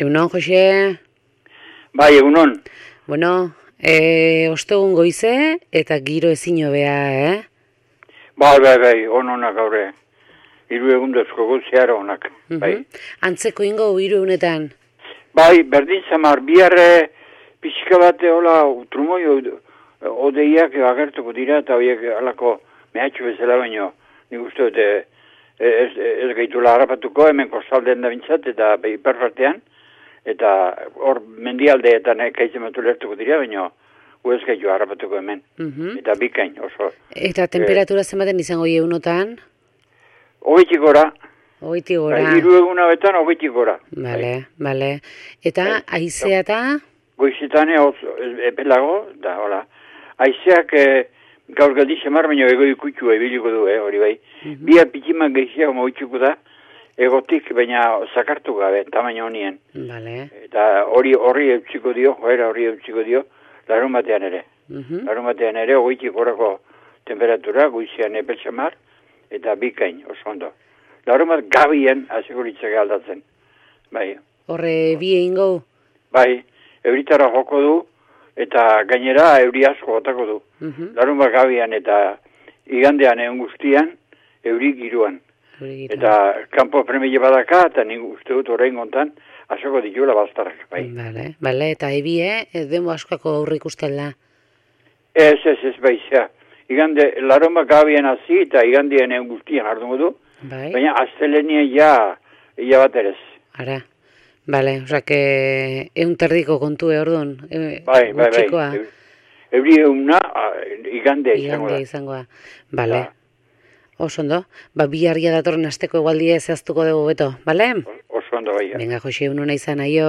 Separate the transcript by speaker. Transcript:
Speaker 1: Egunon, Jose?
Speaker 2: Bai, egunon.
Speaker 1: Bueno, ostegun goize eta giro ezin hobea,
Speaker 2: Bai, onak gaure. 3 egundozko guztiar onak, bai.
Speaker 1: Antzeko ingo 3 egunetan?
Speaker 2: Bai, berdin zamar, bihar pixka bate hola trumoi odeiak agertuko dira eta horiek alako mehatxu bezala baino. Nik uste dute ez gaitula harrapatuko hemen kostaldean da bintzat eta hiperpartean. Eta hor mendialdeetan kaizematu lertuko dira, baina ez gaitu harrapatuko hemen. Eta bikain oso.
Speaker 1: Eta temperatura zenbaten izango egunotan?
Speaker 2: 20 gora.
Speaker 1: 20 gora.
Speaker 2: 3 eguna betan 20 gora.
Speaker 1: Bale. Eta haizea eta?
Speaker 2: Goizetan epelago, da hola. Haizeak gaur galdi xamar, baina ego ikutxua ebiliko du, hori bai. Bia pitiman gehiago moitxuko da. Egotik, baina zakartu gabe, tamaina honien.
Speaker 1: Vale.
Speaker 2: Eta horri eutsiko dio, joera horri eutsiko dio, larun batean ere. Larun batean ere, 20 gorako temperatura, goizean epeltxamar, eta bikain, oso ondo. Larun bat gabien, azekuritzak aldatzen. Bai.
Speaker 1: Horre bi egingo?
Speaker 2: Bai, euritara joko du, eta gainera euri asko gotako du. Larun bat gabian eta igandean egun guztian, euri giruan. Eta kanpo premile badaka, eta nik uste dut horrein gontan, asoko ditula bastarrak, bai.
Speaker 1: Bale, eta ebie, demo askako aurrik ustela?
Speaker 2: Ez, baizea. Igande, laroma gabien hazi, eta igandean egun guztian ardungo du, baina aztelenien ja bat erez.
Speaker 1: Ara, bale, osak, egun terdiko kontue orduan,
Speaker 2: bai. Euri euna, igande
Speaker 1: izango da. Bale. Oso ondo, biharria datorren asteko egualdia zehaztuko dugu beto, bale?
Speaker 2: Oso ondo, bai.
Speaker 1: Venga, Jose, unona izan, aio.